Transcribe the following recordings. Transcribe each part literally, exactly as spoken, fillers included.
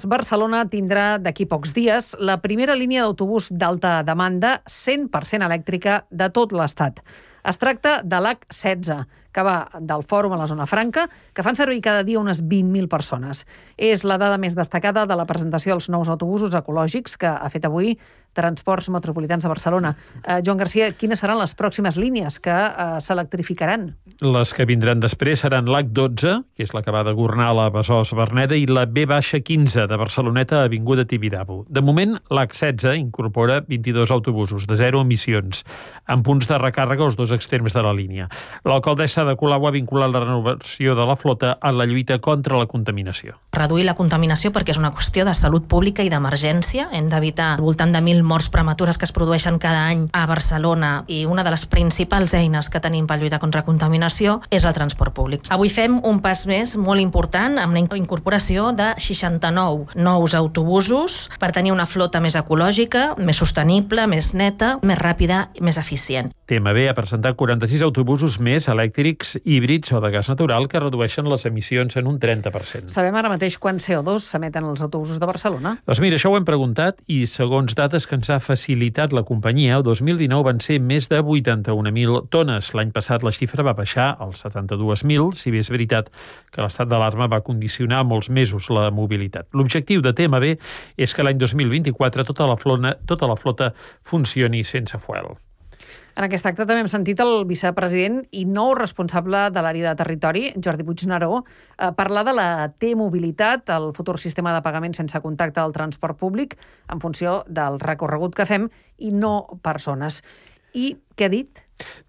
Barcelona tindrà d'aquí pocs dies la primera línia d'autobús d'alta demanda cent per cent elèctrica de tot l'Estat. Es tracta de l'H setze, que va del Fòrum a la Zona Franca, que fan servir cada dia unes vint mil persones. És la dada més destacada de la presentació dels nous autobusos ecològics que ha fet avui Transports Metropolitans de Barcelona. Eh, Joan Garcia, quines seran les pròximes línies que eh, s'electrificaran? Les que vindran després seran l'H dotze, que és la que va de Gornal a Besòs-Verneda, i la B quinze de Barceloneta a Avinguda Tibidabo. De moment, l'H setze incorpora vint-i-dos autobusos de zero emissions, amb punts de recàrrega als dos extrems de la línia. L'alcaldessa de Colau ha vinculat la renovació de la flota a la lluita contra la contaminació. Reduir la contaminació perquè és una qüestió de salut pública i d'emergència. Hem d'evitar al voltant de mil morts prematures que es produeixen cada any a Barcelona i una de les principals eines que tenim per lluitar contra la contaminació és el transport públic. Avui fem un pas més molt important amb la incorporació de seixanta-nou nous autobusos per tenir una flota més ecològica, més sostenible, més neta, més ràpida i més eficient. T M B ha presentat quaranta-sis autobusos més elèctrics, híbrids o de gas natural que redueixen les emissions en un trenta per cent. Sabem ara mateix quants C O dos s'emeten els autobusos de Barcelona? Doncs mira, això ho hem preguntat i segons dades que ens ha facilitat la companyia, el dos mil dinou van ser més de vuitanta-un mil tones. L'any passat la xifra va baixar als setanta-dos mil, si bé és veritat que l'estat d'alarma va condicionar molts mesos la mobilitat. L'objectiu de T M B és que l'any dos mil vint-i-quatre tota la flota, tota la flota funcioni sense fuel. En aquest acte també hem sentit el vicepresident i nou responsable de l'àrea de territori, Jordi Puigneró, eh, parlar de la T-mobilitat, el futur sistema de pagament sense contacte al transport públic, en funció del recorregut que fem i no persones. I què ha dit?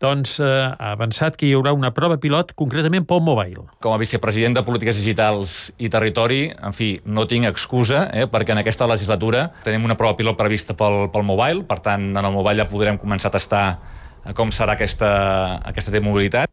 Doncs eh, ha avançat que hi haurà una prova pilot concretament pel mobile. Com a vicepresident de Polítiques Digitals i Territori, en fi, no tinc excusa, eh, perquè en aquesta legislatura tenim una prova pilot prevista pel, pel mobile, per tant, en el mobile ja podrem començar a tastar com serà aquesta, aquesta T-mobilitat.